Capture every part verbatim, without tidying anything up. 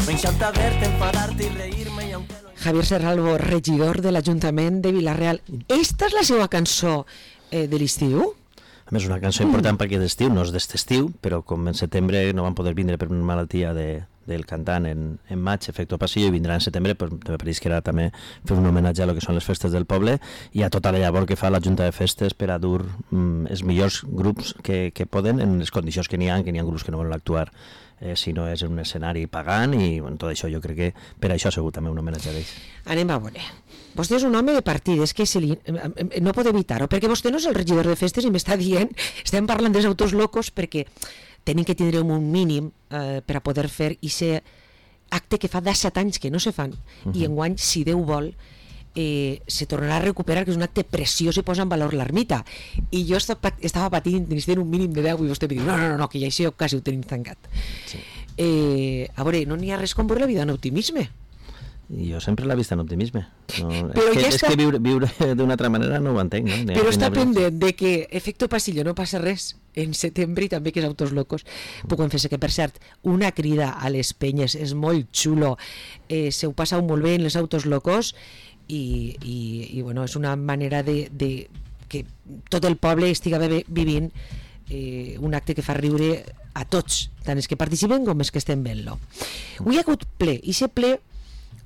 M'encanta verte, enfadarte y reírme y aunque... Javier Serralvo, regidor de l'Ajuntament de Vila-real. Esta és la seva cançó eh, de l'estiu? A més, una cançó important perquè d'estiu, no és d'est estiu, però com en setembre no van poder vindre per una malaltia de, del cantant en, en maig, Efecto Pasillo, i vindrà en setembre, però me pareix que era també fer un homenatge a lo que són les festes del poble i a tota la llavor que fa la Junta de Festes per a dur mm, els millors grups que, que poden en les condicions que n'hi ha, que n'hi ha grups que no volen actuar eh, si no és un escenari pagant i bueno, tot això jo crec que per això ha sigut també un homenatge d'ells. Anem a veure. Vostè és un home de partides que se li... no pot evitar-ho, perquè vostè no és el regidor de festes i m'està dient, estem parlant dels autos locos perquè tenim que tindre un mínim eh, per a poder fer aquest acte que fa disset anys que no se fan uh-huh. i enguany, si Déu vol, eh, se tornarà a recuperar, que és un acte preciós i posa en valor l'ermita. I jo estava patint, necessitem un mínim de deu i vostè em diu, no, no, no, no que ja això quasi ho tenim tancat. Sí. Eh, a veure, no n'hi ha res com veure la vida en optimisme. I jo sempre l'he vist en optimisme. No, però és que, ja és està... que viure, viure d'una altra manera no ho entenc. No? Però està pendent de que Efecto Pasillo no passa res en setembre i també que és Autos Locos. Puc confessar que, per cert, una crida a les penyes és molt xulo. Eh, se ho passa molt bé en les Autos Locos i, i, i bueno, és una manera de, de que tot el poble estiga vivint eh, un acte que fa riure a tots, tant els que participen com els que estem veient-lo. Avui ha hagut ple, i aquest ple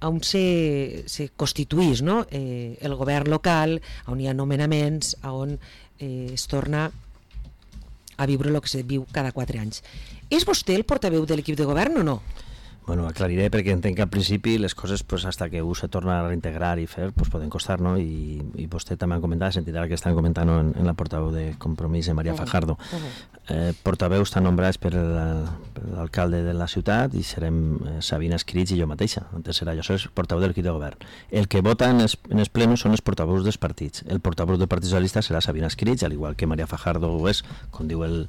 on se, se constituís, no? eh, el govern local, on hi ha nomenaments, on eh, es torna a viure el que se viu cada quatre anys. És vostè el portaveu de l'equip de govern o no? Bueno, aclariré perquè entenc que al principi les coses, pues, hasta que u se torna a reintegrar i fer, pues, poden costar, no? I, i vostè també ha comentat, sentit ara que estan comentant en, en la portaveu de Compromís, de Maria Fajardo. Uh-huh. eh, portaveus estan nombrats per l'alcalde de la ciutat i serem eh, Sabina Escrits i jo mateixa. Antes serà jo, soc portaveu de l'equip de govern. El que vota en els, en els plenos són els portaveus dels partits. El portaveu del Partit Socialista serà Sabina Escrits, al igual que Maria Fajardo ho és, com diu el,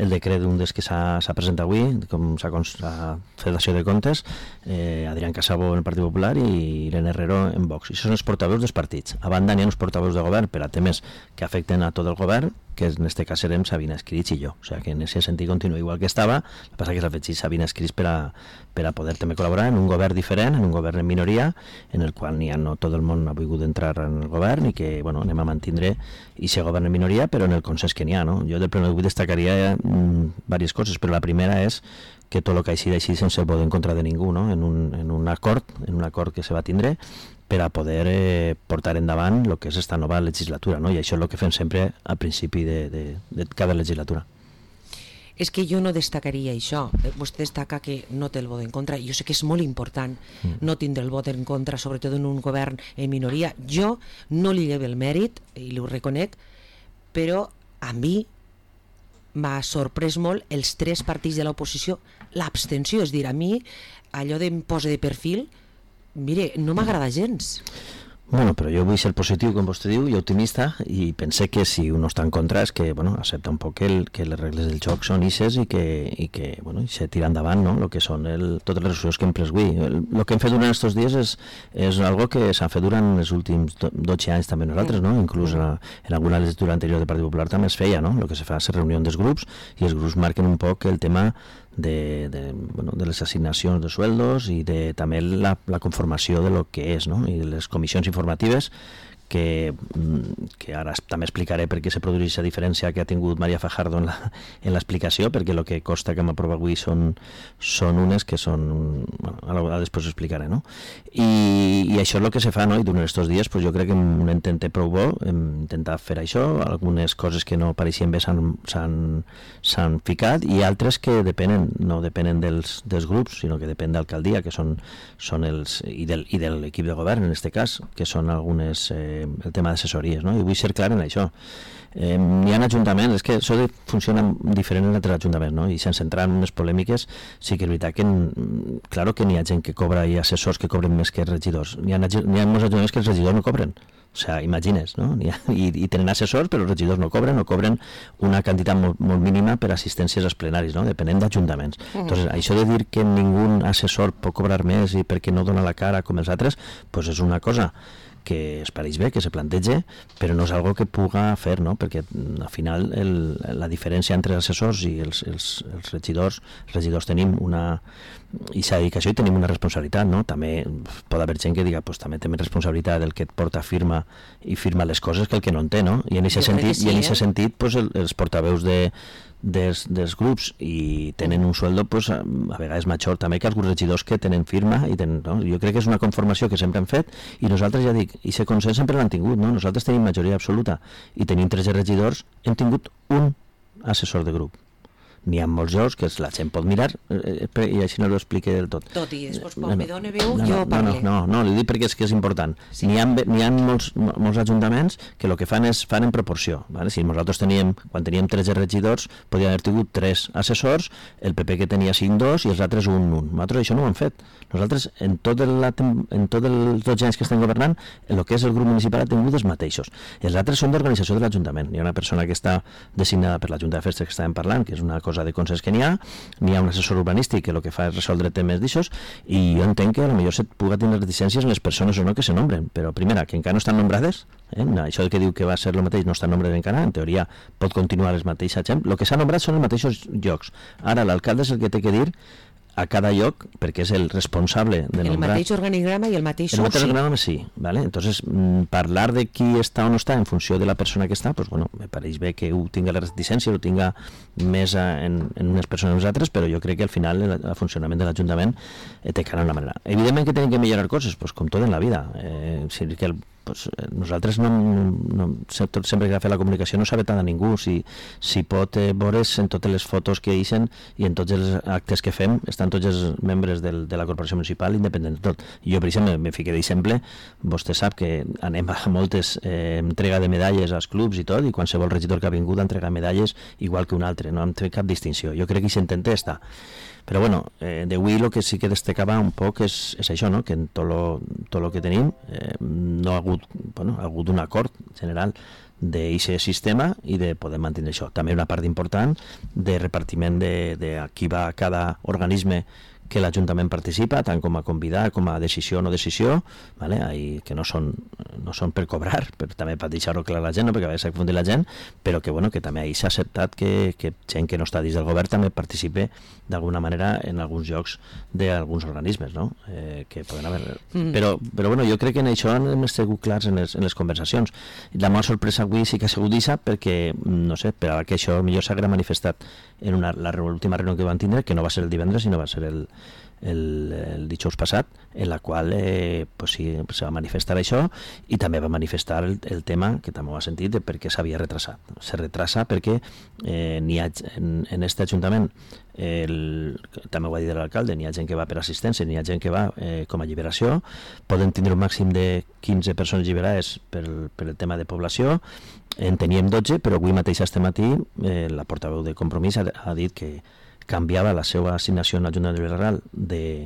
el decret d'un dels que s'ha presentat avui, com s'ha fet l'acció de comptes, Eh, Adrián Casabo en el Partit Popular i Irene Herrero en Vox. I són els portaveus dels partits. A banda n'hi ha uns portaveus de govern per a temes que afecten a tot el govern, que en este cas serem Sabina Escrits i jo. O sigui que en aquest sentit continua igual que estava, el que passa que s'ha fet Sabina Escrits per a, per a poder també col·laborar en un govern diferent, en un govern en minoria, en el qual n'hi ha no tot el món ha volgut entrar en el govern i que bueno, anem a mantindre i ser govern en minoria, però en el consens que n'hi ha. No? Jo del primer avui destacaria mm, diverses coses, però la primera és que tot el que així d'així sense el vot en contra de ningú, no? en, un, en un acord en un acord que se va tindre per a poder eh, portar endavant el que és esta nova legislatura, no? I això és el que fem sempre al principi de, de, de cada legislatura. És que jo no destacaria això. Vostè destaca que no té el vot en contra. Jo sé que és molt important mm. no tindre el vot en contra, sobretot en un govern en minoria. Jo no li llevo el mèrit, i ho reconec, però a mi m'ha sorprès molt els tres partits de l'oposició, l'abstenció, és dir, a mi allò d'em posa de perfil, mire, no m'agrada gens. Bueno, però jo vull ser positiu, com vostè diu, i optimista, i pense que si un no està en contra és que, bueno, accepta un poc que, el, que les regles del joc són ixes i que, i que bueno, i se tira endavant, no?, el que són el, totes les resolucions que hem pres avui. El, el que hem fet durant aquests dies és, és algo que s'ha fet durant els últims dotze anys també nosaltres, no?, inclús en, en alguna legislatura anterior del Partit Popular també es feia, no?, el que se fa és reunió dels grups i els grups marquen un poc el tema de, de, bueno, de les assignacions de sueldos i de també la, la conformació de lo que és, no?, i de les comissions informatives que, que ara també explicaré per què se produeix aquesta diferència que ha tingut Maria Fajardo en l'explicació, perquè el que costa que hem aprovat avui són, són unes que són, bueno, ara després ho explicaré, no? I, i això és el que se fa, no? I durant aquests dies pues, jo crec que hem intentat prou bo, hem intentat fer això, algunes coses que no pareixien bé s'han ficat i altres que depenen, no depenen dels, dels grups, sinó que depèn d'alcaldia, que són, són els, i, del, i de l'equip de govern en aquest cas, que són algunes eh, el tema d'assessories, no? I vull ser clar en això. Eh, hi ha ajuntaments, és que això funciona diferent en altres ajuntaments, no? I sense entrar en unes polèmiques, sí que és veritat que claro que n'hi ha gent que cobra i assessors que cobren més que regidors. N'hi ha, hi ha molts ajuntaments que els regidors no cobren. O sea, imagines, no? I, i tenen assessors, però els regidors no cobren, no cobren una quantitat molt, molt mínima per assistències als plenaris, no? Depenent d'ajuntaments. Mm. Entonces, això de dir que ningú assessor pot cobrar més i perquè no dona la cara com els altres, pues és una cosa que es pareix bé, que se plantege, però no és algo que puga fer, no? Perquè al final el, la diferència entre els assessors i els, els, els regidors, els regidors tenim una... i s'ha dit que això i tenim una responsabilitat, no? També pot haver gent que diga, pues també té més responsabilitat del que et porta firma i firma les coses que el que no en té, no? I en aquest sentit, sí, i en aquest eh? sentit pues, el, els portaveus de Dels, dels grups i tenen un sueldo pues, a, a vegades major també que alguns regidors que tenen firma i tenen, no? Jo crec que és una conformació que sempre hem fet i nosaltres ja dic, i aquest consens sempre l'han tingut, no? Nosaltres tenim majoria absoluta i tenim tres regidors, hem tingut un assessor de grup. N'hi ha molts jocs que la gent pot mirar eh, i així no ho explique del tot. Tot i després quan no, no, me dóna veu no, jo no, parle. No, no, no, no, li dic perquè és que és important. Sí. N'hi ha, n'hi ha molts, molts ajuntaments que el que fan és fan en proporció. Vale? Si nosaltres teníem, quan teníem tretze regidors, podíem haver tingut tres assessors, el P P que tenia cinc, dos i els altres un, un. Nosaltres això no ho hem fet. Nosaltres, en tots tot els dotze anys que estem governant, el que és el grup municipal ha tingut els mateixos. Els altres són d'organització de l'Ajuntament. Hi ha una persona que està designada per la Junta de Festes que estàvem parlant, que és una cosa de consens que n'hi ha, n'hi ha un assessor urbanístic que el que fa és resoldre temes d'aixòs, i jo entenc que potser se puga tenir reticències en les persones o no que se nombren, però primera, que encara no estan nombrades, eh? Això que diu que va ser el mateix no estan nombrades encara, en teoria pot continuar els mateixos gent, el que s'ha nombrat són els mateixos llocs. Ara l'alcalde és el que té que dir a cada lloc, perquè és el responsable de el nombrar... El mateix organigrama i el mateix el mateix sí. organigrama sí, ¿vale? Entonces, mmm, parlar de qui està o no està en funció de la persona que està, pues bueno, me pareix bé que ho tinga la reticència, ho tinga més a, en, en unes persones o unes altres, però jo crec que al final el, el funcionament de l'Ajuntament eh, té cara una manera. Evidentment que tenen que millorar coses, pues com tot en la vida. Eh, si que el Pues, eh, nosaltres no, no, tot sempre que ha fet la comunicació no s'ha vetat a ningú, si, si pot eh, veure's en totes les fotos que deixen i en tots els actes que fem estan tots els membres del, de la corporació municipal independent de tot. Jo per exemple me fiqué d'exemple, vostè sap que anem a moltes eh, entrega de medalles als clubs i tot, i qualsevol regidor que ha vingut a entregar medalles igual que un altre, no hem fet cap distinció. Jo crec que s'intenta estar. Però bueno, eh, d'avui el que sí que destacava un poc és, és això, no? Que en tot lo, tot lo que tenim eh, no ha hagut, bueno, ha hagut un acord general d'aquest sistema i de poder mantenir això. També una part important de repartiment de, de a qui va a cada organisme que l'Ajuntament participa, tant com a convidar com a decisió o no decisió, vale? Ahí, que no són, no són per cobrar, però també per deixar-ho clar a la gent, no? Perquè a vegades s'ha confundit la gent, però que, bueno, que també ahí s'ha acceptat que, que gent que no està dins del govern també participe d'alguna manera en alguns llocs d'alguns organismes, no? Eh, que poden haver... Mm. Però, però bueno, jo crec que en això hem sigut clars en les, en les conversacions. La meva sorpresa avui sí que ha sigut això, perquè, no sé, per a que això millor s'haguera manifestat en una, la última reunió que van tindre, que no va ser el divendres, sinó va ser el, el, el dijous passat, en la qual eh, pues sí, se va manifestar això, i també va manifestar el, el tema, que també ho ha sentit, de per què s'havia retrasat. Se retrasa perquè eh, n'hi ha, en, en este Ajuntament, el, també ho va dir l'alcalde, n'hi ha gent que va per assistència, n'hi ha gent que va eh, com a alliberació, poden tindre un màxim de quinze persones alliberades per, per el tema de població, en teníem dotze, però avui mateix este matí eh, la portaveu de Compromís ha, ha dit que canviava la seva assignació en la Junta de Villarreal de,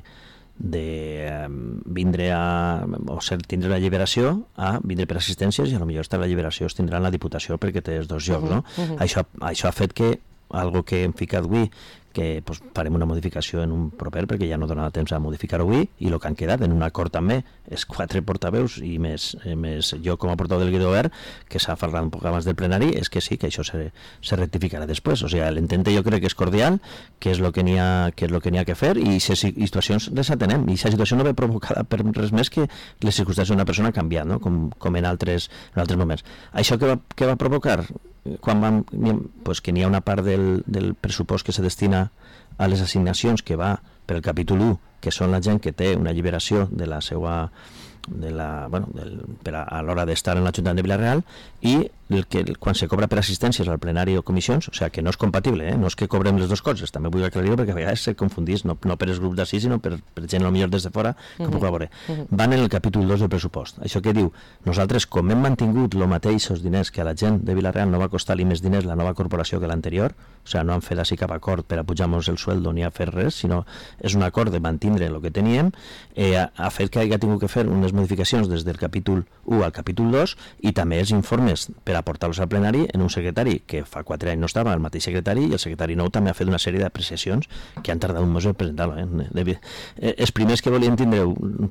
de eh, vindre a o ser, tindre la alliberació a vindre per assistències, i a lo millor estar la alliberació es tindrà en la Diputació perquè té els dos llocs, no? Uh -huh. això, això ha fet que algo que hem ficat avui, que pues, farem una modificació en un proper perquè ja no donava temps a modificar avui, i el que han quedat en un acord també és quatre portaveus i més, eh, més jo com a portaveu del Guido Verd, que s'ha parlat un poc abans del plenari, és que sí, que això se, se rectificarà després. O sigui, l'entente jo crec que és cordial, que és el que n'hi ha, que és lo que n'hi ha que fer, i aquestes situacions les atenem, i aquesta situació no ve provocada per res més que les circumstàncies d'una persona ha canviat, no? com, com en, altres, en altres moments. Això que va, que va provocar? Quan vam, pues que n'hi ha una part del, del pressupost que se destina a les assignacions que va per el capítol u, que són la gent que té una alliberació de la seva de la, bueno, del, per a, a l'hora d'estar en l'Ajuntament de Villarreal, i el que, quan se cobra per assistències al plenari o comissions, o sigui que no és compatible, eh? No és que cobrem les dues coses, també vull aclarir-ho perquè a vegades se confundís, no, no per els grups d'ací, sinó per, per gent potser des de fora que uh -huh. puc veure. Uh -huh. Van en el capítol dos del pressupost. Això que diu, nosaltres com hem mantingut el mateix els diners que a la gent de Villarreal no va costar-li més diners la nova corporació que l'anterior, o sigui, no han fet així cap acord per a pujar-nos el sueldo ni a fer res, sinó és un acord de mantenir mantindre el que teníem, eh, ha fet que hagi tingut que fer unes modificacions des del capítol u al capítol dos i també els informes per aportar-los al plenari en un secretari que fa quatre anys no estava, el mateix secretari, i el secretari nou també ha fet una sèrie d'apreciacions que han tardat un mes en presentar-lo. Eh? Eh, els primers que volien tindre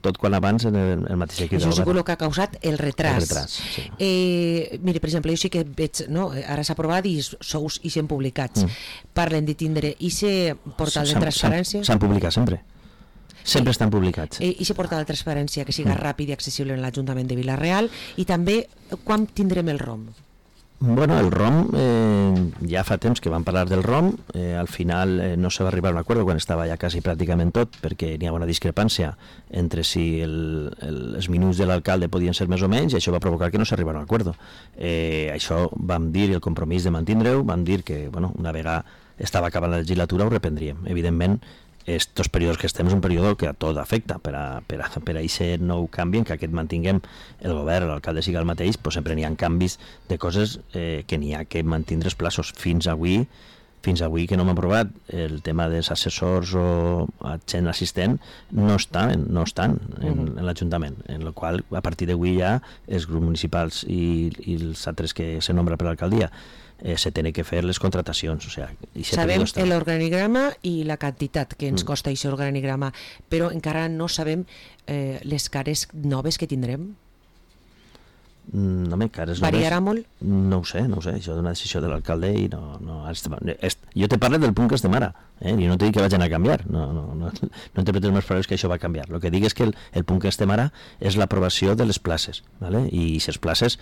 tot quan abans en el, el mateix equip. Això és el que ha causat el retras. El retras, sí. Eh, mire, per exemple, jo sí que veig, no? Ara s'ha aprovat i sous i s'han publicats. Mm. Parlen de tindre i se portal de transparència. S'han publicat sempre. Sempre estan publicats. I se portal de transparència que siga mm. ràpid i accessible en l'Ajuntament de Vila-real, i també quan tindrem el R O M? Bueno, el R O M, eh, ja fa temps que vam parlar del R O M, eh, al final eh, no se va arribar a un acord quan estava ja quasi pràcticament tot, perquè n'hi ha una discrepància entre si el, el, els minuts de l'alcalde podien ser més o menys, i això va provocar que no s'arribara a un acord. Eh, això vam dir, el compromís de mantindre-ho, vam dir que, bueno, una vegada estava acabant la legislatura ho reprendríem. Evidentment, estos períodes que estem és un període que a tot afecta, per a, per a, per a això no ho canvien, que aquest mantinguem el govern, l'alcalde siga el mateix, però sempre n'hi ha canvis de coses eh, que n'hi ha que mantindre els plaços. Fins avui, fins avui que no m'ha aprovat el tema dels assessors o gent assistent, no estan, no estan en, en l'Ajuntament, en la qual a partir d'avui ja els grups municipals i, i els altres que se nombra per l'alcaldia Eh, se tenen que fer les contratacions. O sea, sabem l'organigrama i la quantitat que ens mm. costa aquest organigrama, però encara no sabem eh, les cares noves que tindrem. Mm, no, cares variarà noves, molt? No ho sé, no ho sé, això és una decisió de l'alcalde i no, no, és, jo te parlo del punt que estem ara, eh? I no te dic que vagin a canviar, no, no, no, no interpretes més paraules que això va canviar. El que dic és que el, el punt que estem ara és l'aprovació de les places, ¿vale? I aquestes places,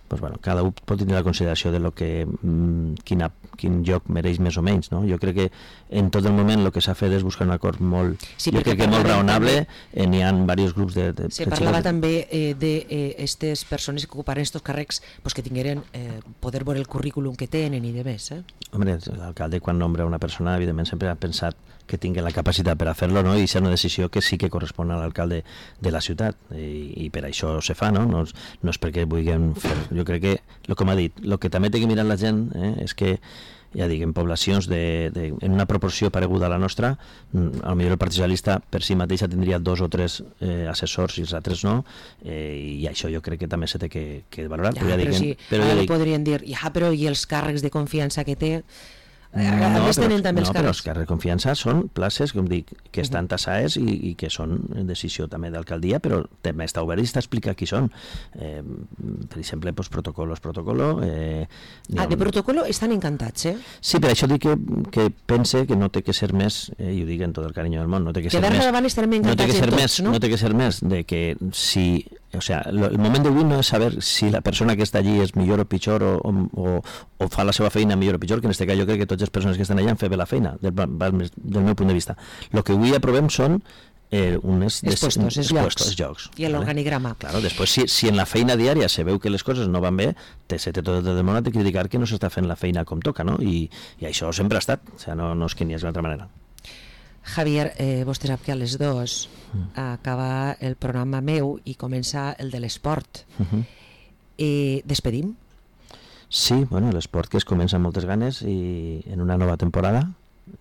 pues bueno, cada un pot tenir la consideració de lo que, mmm, quina, quin lloc mereix més o menys, no? Jo crec que en tot el moment el que s'ha fet és buscar un acord molt, sí, jo crec que molt raonable, eh, n'hi ha diversos grups de... de se parlava de... també eh, de aquestes eh, persones que ocuparen aquests càrrecs pues, que tingueren eh, poder veure el currículum que tenen i de més, eh? Hombre, l'alcalde quan nombra una persona evidentment sempre ha pensat que tingui la capacitat per a fer-lo, no? I és una decisió que sí que correspon a l'alcalde de la ciutat, i, i per això se fa, no? No, no és perquè vulguem fer... Jo crec que, el que m'ha dit, el que també té que mirar la gent eh, és que, ja dic, en poblacions de, de, en una proporció pareguda a la nostra, a lo millor el Partit Socialista per si mateixa tindria dos o tres eh, assessors i els altres no, eh, i això jo crec que també se té que, que valorar. Ja, però, ja però dic, sí, però ara ja dic, podrien dir, ja, però i els càrrecs de confiança que té... No, a més tenen també els no, però els càrrecs de confiança són places, com dic, que estan tassades i, i que són decisió també d'alcaldia, però també està obert i està explicat qui són. Eh, per exemple, pues, protocolos, protocolo... Eh, ah, de protocolo estan encantats, eh? Sí, per això dic que, que pense que no té que ser més, eh, i ho dic en tot el carinyo del món, no té que, que ser més... Davant estarem encantats no té que ser tots, més, no? No té que ser més de que si... O sea, lo, el moment d'avui no és saber si la persona que està allí és millor o pitjor o, o, o fa la seva feina millor o pitjor, que en aquest cas jo crec que totes les persones que estan allà han fet bé la feina, del, del meu punt de vista. El que avui aprovem són eh, unes des, puestos, es puestos, llocs. llocs. I l'organigrama. Claro, després, si, si en la feina diària se veu que les coses no van bé, te, se té tot el món a criticar que no s'està fent la feina com toca, no? I, i això sempre ha estat, o sea, no, no és que n'hi hagi d'altra manera. Javier, eh, vostè sap que a les dues mm. acaba el programa meu i comença el de l'esport. Uh-huh. Eh, despedim? Sí, bueno, l'esport que es comença amb moltes ganes i en una nova temporada,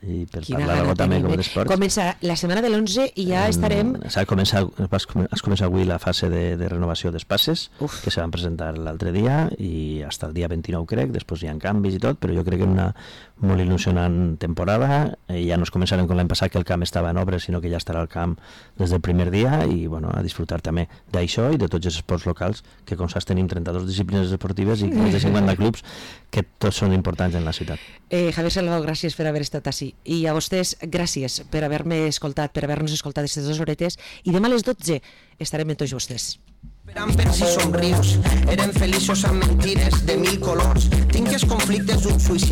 i per Quina parlar algo també com l'esport. Comença la setmana de l'onze i ja estarem... S'ha començat, has començat avui la fase de, de renovació d'espaces, Uf. que se van presentar l'altre dia i fins el dia vint-i-nou crec, després hi ha canvis i tot, però jo crec que una molt il·lusionant temporada, eh, ja no es començarem com l'any passat que el camp estava en obres, sinó que ja estarà al camp des del primer dia i bueno, a disfrutar també d'això i de tots els esports locals, que com saps tenim trenta-dues disciplines esportives i més de cinquanta clubs que tots són importants en la ciutat. Eh, Javier Salvador, gràcies per haver estat així. I a vostès, gràcies per haver-me escoltat, per haver-nos escoltat aquestes dues horetes. I demà a les dotze estarem amb tots vostès. Esperant per si somrius, eren feliços amb mentires de mil colors. Tinc els conflictes d'un suïcidi.